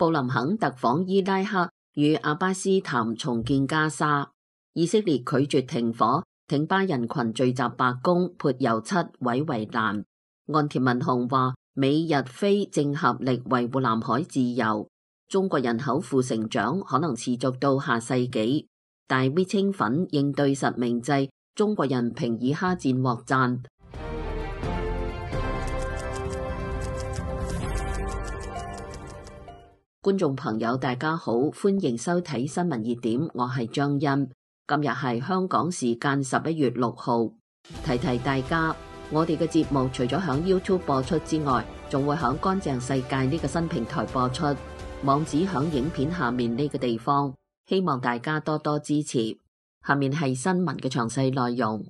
布林肯特訪伊拉克，與阿巴斯談重建加沙。以色列拒絕停火，挺巴人群聚集白宮，潑油漆毀圍欄。岸田文雄話：美日菲正合力維護南海自由。中國人口負成長可能持續到下世紀。大 V 清粉應對實名制，中國人平以哈戰獲讚。觀眾朋友大家好，歡迎收睇新聞熱點，我係張欣。今日係香港時間11月6號，提提大家，我哋嘅節目除咗響 YouTube 播出之外，仲會響乾淨世界呢個新平台播出，網址響影片下面呢個地方，希望大家多多支持。下面係新聞嘅詳細內容。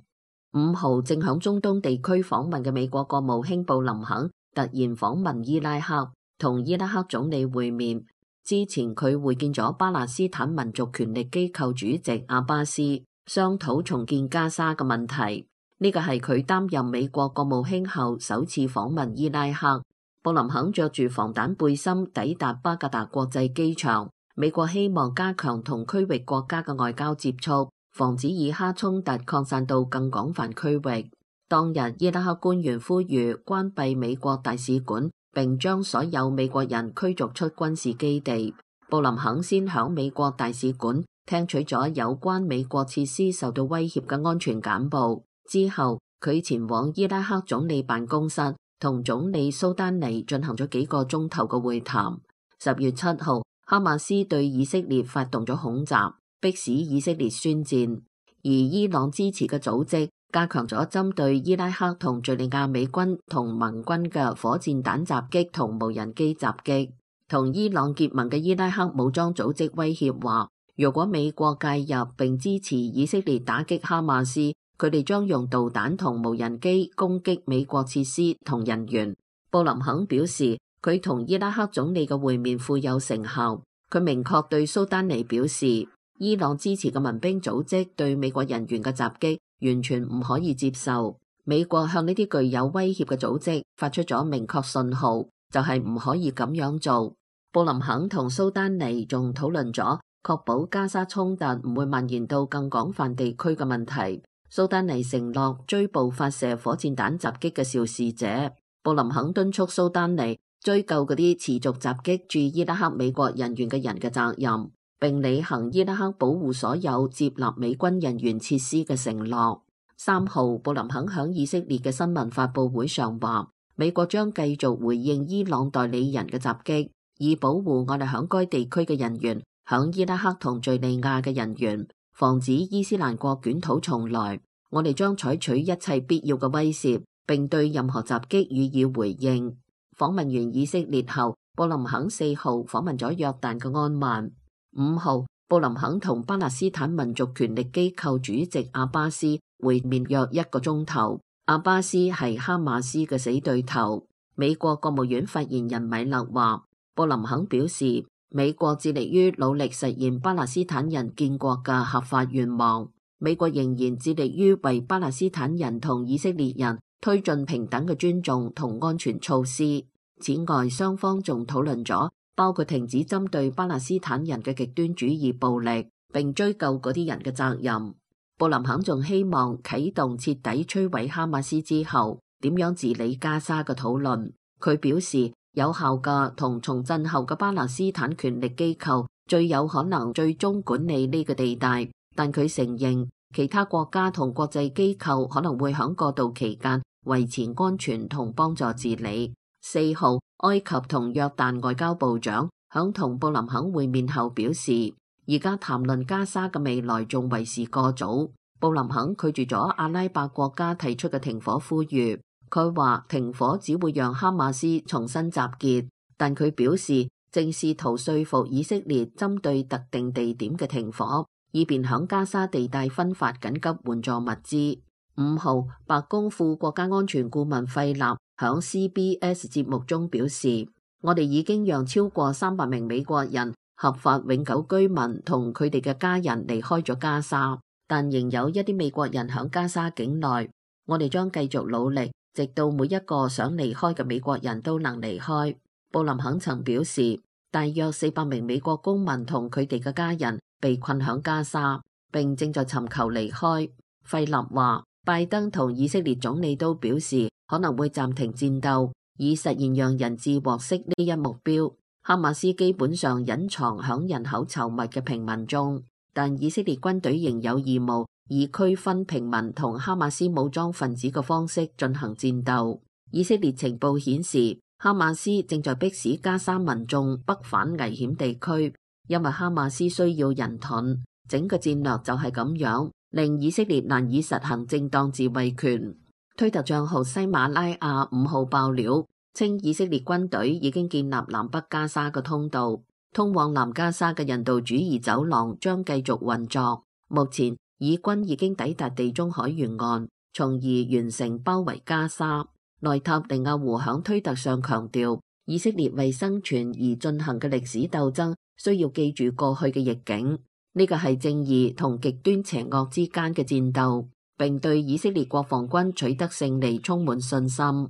5號正響中東地區訪問嘅美國國務卿布林肯突然訪問伊拉克，同伊拉克總理會面。之前佢會見咗巴勒斯坦民族權力機構主席阿巴斯，商討重建加沙嘅問題。呢個係佢擔任美國國務卿後首次訪問伊拉克。布林肯着住防彈背心抵達巴格達國際機場。美國希望加強同區域國家嘅外交接觸，防止以哈衝突擴散到更廣泛區域。當日伊拉克官員呼籲關閉美國大使館，並將所有美國人驅逐出軍事基地。布林肯先響美國大使館聽取咗有關美國設施受到威脅嘅安全簡報，之後佢前往伊拉克總理辦公室，同總理蘇丹尼進行咗幾個鐘頭嘅會談。10月7號，哈馬斯對以色列發動咗恐襲，迫使以色列宣戰，而伊朗支持嘅組織加強咗針對伊拉克同敘利亞美軍同盟軍嘅火箭彈襲擊同無人機襲擊。同伊朗結盟嘅伊拉克武裝組織威脅話，如果美國介入並支持以色列打擊哈馬斯，佢哋將用導彈同無人機攻擊美國設施同人員。布林肯表示，佢同伊拉克總理嘅會面富有成效。佢明確對蘇丹尼表示，伊朗支持嘅民兵組織對美國人員嘅襲擊完全唔可以接受。美國向呢啲具有威脅嘅組織發出咗明確信號，就係唔可以咁樣做。布林肯同蘇丹尼仲討論咗確保加沙衝突唔會蔓延到更廣泛地區嘅問題。蘇丹尼承諾追捕發射火箭彈襲擊嘅肇事者。布林肯敦促蘇丹尼追究嗰啲持續襲擊駐伊拉克美國人員嘅人嘅責任，並履行伊拉克保護所有接納美軍人員設施嘅承諾。3號，布林肯響以色列嘅新聞發佈會上話，美國將繼續回應伊朗代理人嘅襲擊，以保護我哋響該地區嘅人員，響伊拉克同敘利亞嘅人員，防止伊斯蘭國捲土重來。我哋將採取一切必要嘅威懾，並對任何襲擊予以回應。訪問完以色列後，布林肯4號訪問咗約旦嘅安曼。5號，布林肯同巴勒斯坦民族權力機構主席阿巴斯會面約1個鐘頭。阿巴斯係哈馬斯嘅死對頭。美國國務院發言人米勒話，布林肯表示，美國致力於努力實現巴勒斯坦人建國嘅合法願望。美國仍然致力於為巴勒斯坦人同以色列人推進平等嘅尊重同安全措施。此外，雙方仲討論咗包括停止針對巴勒斯坦人嘅極端主義暴力，並追究嗰啲人嘅責任。布林肯仲希望啟動徹底摧毀哈馬斯之後點樣治理加沙嘅討論。佢表示，有效嘅同重振後嘅巴勒斯坦權力機構最有可能最終管理呢個地帶，但佢承認其他國家同國際機構可能會喺過渡期間維持安全同幫助治理。4號，埃及同約旦外交部長響同布林肯會面後表示，而家談論加沙嘅未來仲為時過早。布林肯拒絕咗阿拉伯國家提出嘅停火呼籲，佢話停火只會讓哈馬斯重新集結，但佢表示正試圖說服以色列針對特定地點嘅停火，以便響加沙地帶分發緊急援助物資。5號，白宮副國家安全顧問費納響 CBS 節目中表示，我哋已經讓超過300名美國人合法永久居民同佢哋嘅家人離開咗加沙，但仍有一啲美國人響加沙境內。我哋將繼續努力，直到每一個想離開嘅美國人都能離開。布林肯曾表示，大約400名美國公民同佢哋嘅家人被困響加沙，並正在尋求離開。費立話，拜登同以色列總理都表示可能會暫停戰鬥，以實現讓人質獲釋呢一目標。哈馬斯基本上隱藏響人口稠密嘅平民中，但以色列軍隊仍有義務以區分平民同哈馬斯武裝分子嘅方式進行戰鬥。以色列情報顯示，哈馬斯正在迫使加沙民眾北返危險地區，因為哈馬斯需要人盾。整個戰略就係咁樣，令以色列難以實行正當自衛權。推特帳號西馬拉亞5號爆料，稱以色列軍隊已經建立南北加沙嘅通道，通往南加沙嘅人道主義走廊將繼續運作。目前，以軍已經抵達地中海沿岸，從而完成包圍加沙。內塔尼亞胡響推特上強調，以色列為生存而進行嘅歷史鬥爭，需要記住過去嘅逆境。呢個係正義同極端邪惡之間嘅戰鬥，並對以色列國防軍取得勝利充滿信心。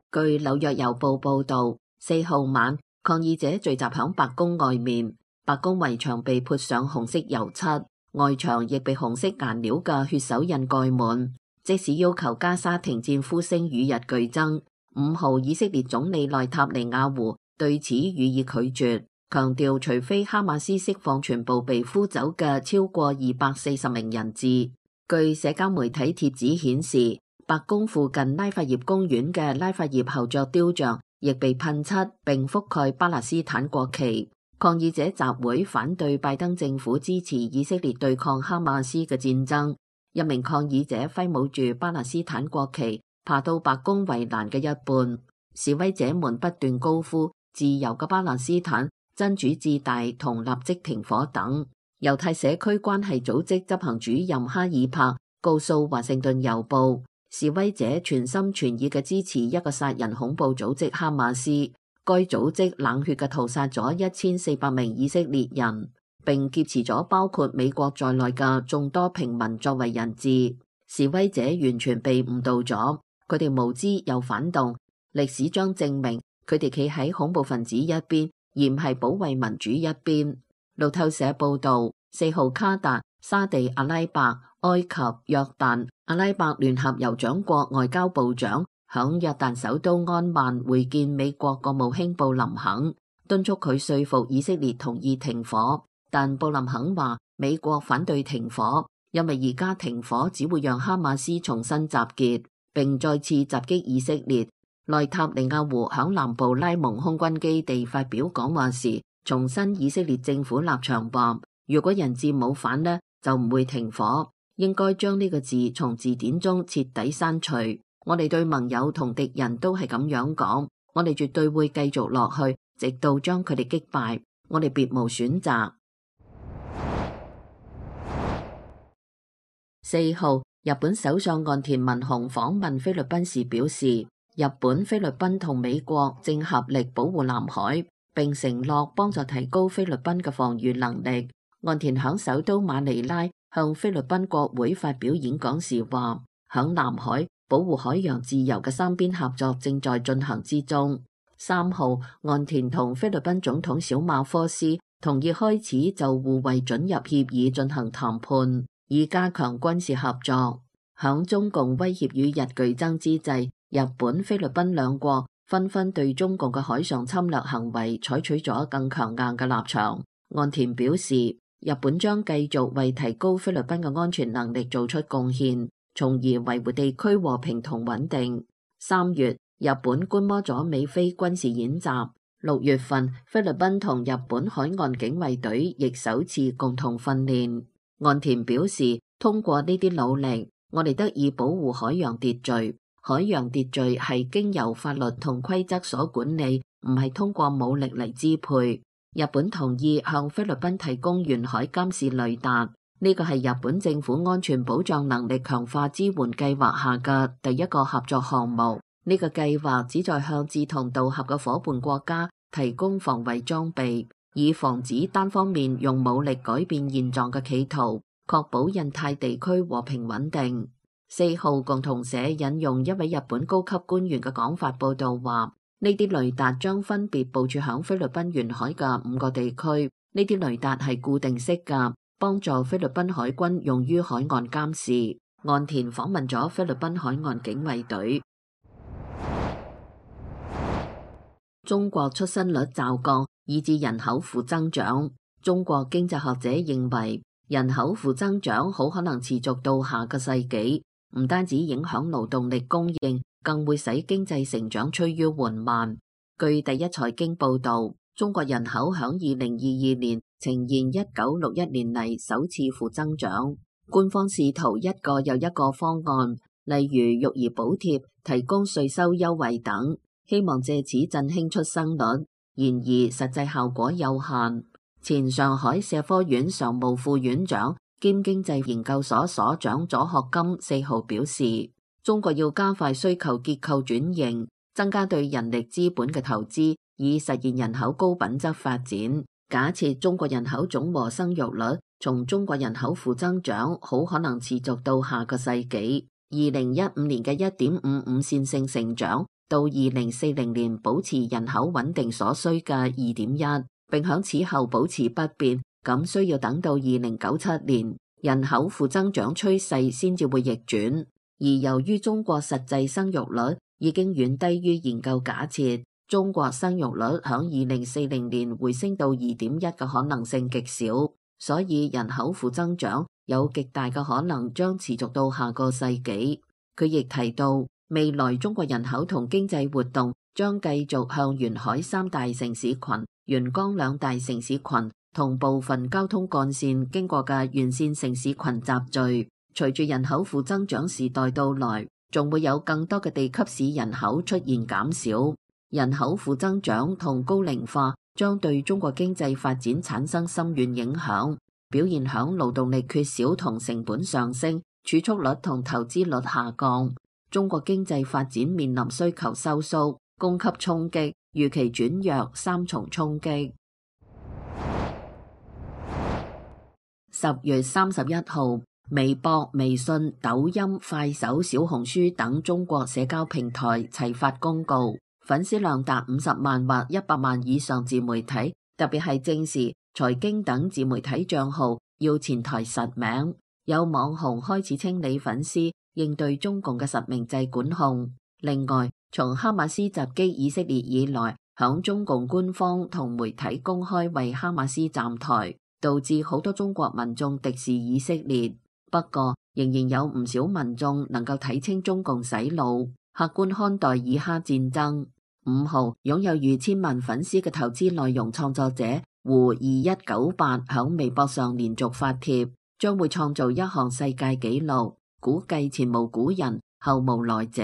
據紐約郵報報導，4號晚，抗議者聚集響白宮外面，白宮圍牆被潑上紅色油漆，外牆亦被紅色顏料嘅血手印蓋滿。即使要求加沙停戰呼聲與日俱增，5號以色列總理內塔尼亞胡對此予以拒絕，強調除非哈馬斯釋放全部被俘走嘅超過240名人質。據社交媒體帖子顯示，白宮附近拉法葉公園嘅拉法葉後座雕像亦被噴漆並覆蓋巴勒斯坦國旗。抗議者集會反對拜登政府支持以色列對抗哈馬斯嘅戰爭。一名抗議者揮舞住巴勒斯坦國旗，爬到白宮圍欄嘅一半。示威者們不斷高呼自由嘅巴勒斯坦、真主至大同立即停火等。猶太社區關係組織執行主任哈爾柏告訴華盛頓郵報，示威者全心全意嘅支持一個殺人恐怖組織哈馬斯。該組織冷血嘅屠殺咗1400名以色列人，並劫持咗包括美國在內嘅眾多平民作為人質。示威者完全被誤導咗，佢哋無知又反動。歷史將證明佢哋企喺恐怖分子一邊，而唔係保衛民主一邊。路透社報導，4號卡達、沙地阿拉伯、埃及、約旦、阿拉伯聯合酋長國外交部長響約旦首都安曼會見美國國務卿布林肯，敦促佢說服以色列同意停火。但布林肯話美國反對停火，因為而家停火只會讓哈馬斯重新集結並再次襲擊以色列。內塔尼亞胡響南部拉蒙空軍基地發表講話時，重申以色列政府立場話，如果人質冇返呢，就唔會停火，應該將呢個字從字典中徹底刪除。我哋對盟友同敵人都係咁樣講，我哋絕對會繼續落去，直到將佢哋擊敗，我哋別無選擇。4號，日本首相岸田文雄訪問菲律賓時表示，日本、菲律賓同美國正合力保護南海，並承諾幫助提高菲律賓嘅防禦能力。岸田響首都馬尼拉向菲律賓國會發表演講時話，響南海保護海洋自由嘅三邊合作正在進行之中。3號，岸田同菲律賓總統小馬科斯同意開始就互惠准入協議進行談判，以加強軍事合作。響中共威脅與日俱增之際，日本、菲律賓兩國紛紛對中共嘅海上侵略行為採取咗更強硬嘅立場。岸田表示，日本將繼續為提高菲律賓嘅安全能力做出貢獻，從而維護地區和平同穩定。3月，日本觀摩咗美菲軍事演習。6月份，菲律賓同日本海岸警衛隊亦首次共同訓練。岸田表示，通過呢啲努力，我哋得以保護海洋秩序。海洋秩序係經由法律同規則所管理，唔係通過武力嚟支配。日本同意向菲律賓提供沿海監視雷達，呢個係日本政府安全保障能力強化支援計劃下嘅第一個合作項目。呢個計劃旨在向志同道合嘅夥伴國家提供防衛裝備，以防止單方面用武力改變現狀嘅企圖，確保印太地區和平穩定。4號共同社引用一位日本高級官員嘅講法報道話，呢啲雷達將分別部署響菲律賓沿海嘅5個地區。呢啲雷達係固定式㗎，幫助菲律賓海軍用於海岸監視。岸田訪問咗菲律賓海岸警衛隊。中國出生率驟降，以致人口負增長。中國經濟學者認為，人口負增長好可能持續到下個世紀，唔單止影響勞動力供應，更會使經濟成長趨於緩慢。據第一財經報導，中國人口響2022年呈現1961年嚟首次負增長。官方試圖一個又一個方案，例如育兒補貼、提供稅收優惠等，希望借此振興出生率。然而實際效果有限。前上海社科院常務副院長兼經濟研究所所長左學金4號表示，中國要加快需求結構轉型，增加對人力資本嘅投資，以實現人口高品質發展。假設中國人口總和生育率從中國人口負增長，好可能持續到下個世紀。2015年嘅1.55線性成長，到2040年保持人口穩定所需嘅2.1，並響此後保持不變，咁需要等到2097年，人口負增長趨勢先至會逆轉。而由於中國實際生育率已經遠低於研究假設，中國生育率響2040年回升到2.1嘅可能性極小，所以人口負增長有極大嘅可能將持續到下個世紀。佢亦提到，未來中國人口同經濟活動將繼續向沿海3大城市群、沿江2大城市群同部分交通幹線經過嘅沿線城市群集聚。隨住人口負增長時代到來，仲會有更多嘅地級市人口出現減少。人口負增長同高齡化將對中國經濟發展產生深遠影響，表現響勞動力缺少同成本上升、儲蓄率同投資率下降。中國經濟發展面臨需求收縮、供給衝擊、預期轉弱3重衝擊。10月31號，微博、微信、抖音、快手、小紅書等中國社交平台齊發公告，粉絲量達50萬或100萬以上自媒體，特別係正視、財經等自媒體賬號要前台實名。有網紅開始清理粉絲，應對中共嘅實名制管控。另外，從哈馬斯襲擊以色列以來，響中共官方同媒體公開為哈馬斯站台，導致好多中國民眾敵視以色列。不過，仍然有唔少民眾能夠睇清中共洗腦，客觀看待以哈戰爭。5號，擁有逾1000萬粉絲嘅投資內容創作者胡2198響微博上連續發帖，將會創造一項世界紀錄，估計前無古人後無來者。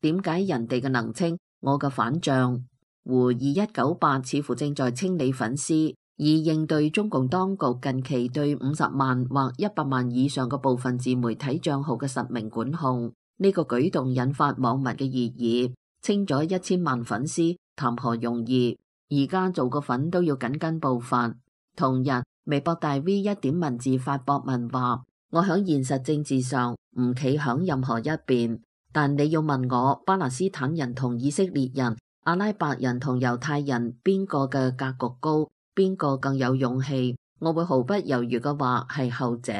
點解人哋嘅能清，我嘅反帳？胡2198似乎正在清理粉絲，以應對中共當局近期對50萬或100萬以上嘅部分自媒體賬號嘅實名管控。呢個舉動引發網民嘅熱議，清咗1000萬粉絲談何容易？而家做個粉都要緊跟步伐。同日，微博大 V 一點文字發博文話：我響現實政治上唔企響任何一邊，但你要問我巴勒斯坦人同以色列人、阿拉伯人同猶太人邊個嘅格局高，邊個更有勇氣，我會毫不猶豫嘅話係後者。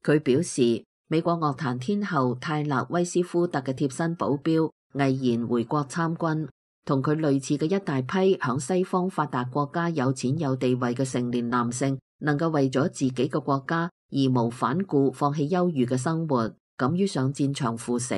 佢表示，美國樂壇天后泰勒威斯夫特嘅貼身保鏢毅然回國參軍，同佢類似嘅一大批響西方發達國家有錢有地位嘅成年男性，能夠為咗自己嘅國家義無反顧放棄優裕嘅生活，敢於上戰場赴死。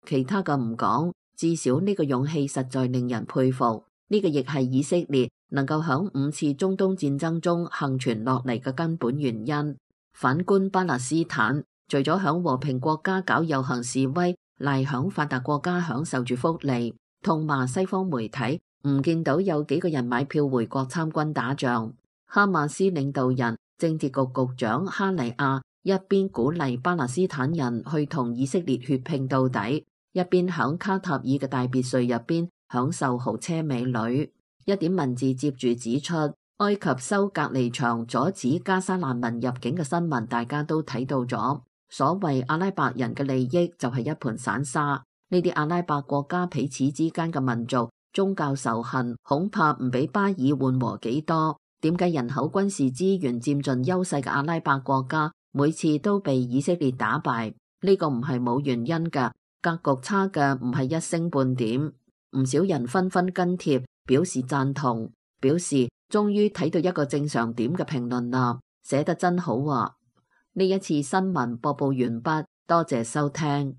其他嘅唔講，至少呢個勇氣實在令人佩服。呢個亦係以色列能夠響5次中東戰爭中幸存落嚟嘅根本原因。反觀巴勒斯坦，除咗響和平國家搞遊行示威，賴響發達國家享受住福利，痛罵西方媒體，唔見到有幾個人買票回國參軍打仗。哈馬斯領導人、政治局局長哈尼亞一邊鼓勵巴勒斯坦人去同以色列血拼到底，一邊響卡塔爾嘅大別墅入邊享受豪車美女。一點文字接住指出，埃及修隔離牆阻止加沙難民入境嘅新聞大家都睇到咗。所謂阿拉伯人嘅利益就係一盤散沙，呢啲阿拉伯國家彼此之間嘅民族宗教仇恨恐怕唔比巴爾緩和幾多。點解人口軍事資源佔盡優勢嘅阿拉伯國家每次都被以色列打敗？呢個唔係冇原因㗎，格局差嘅唔係一星半點。唔少人紛紛跟帖表示贊同，表示終於睇到一個正常點嘅評論啦，寫得真好啊！呢一次新聞播報完畢，多謝收聽。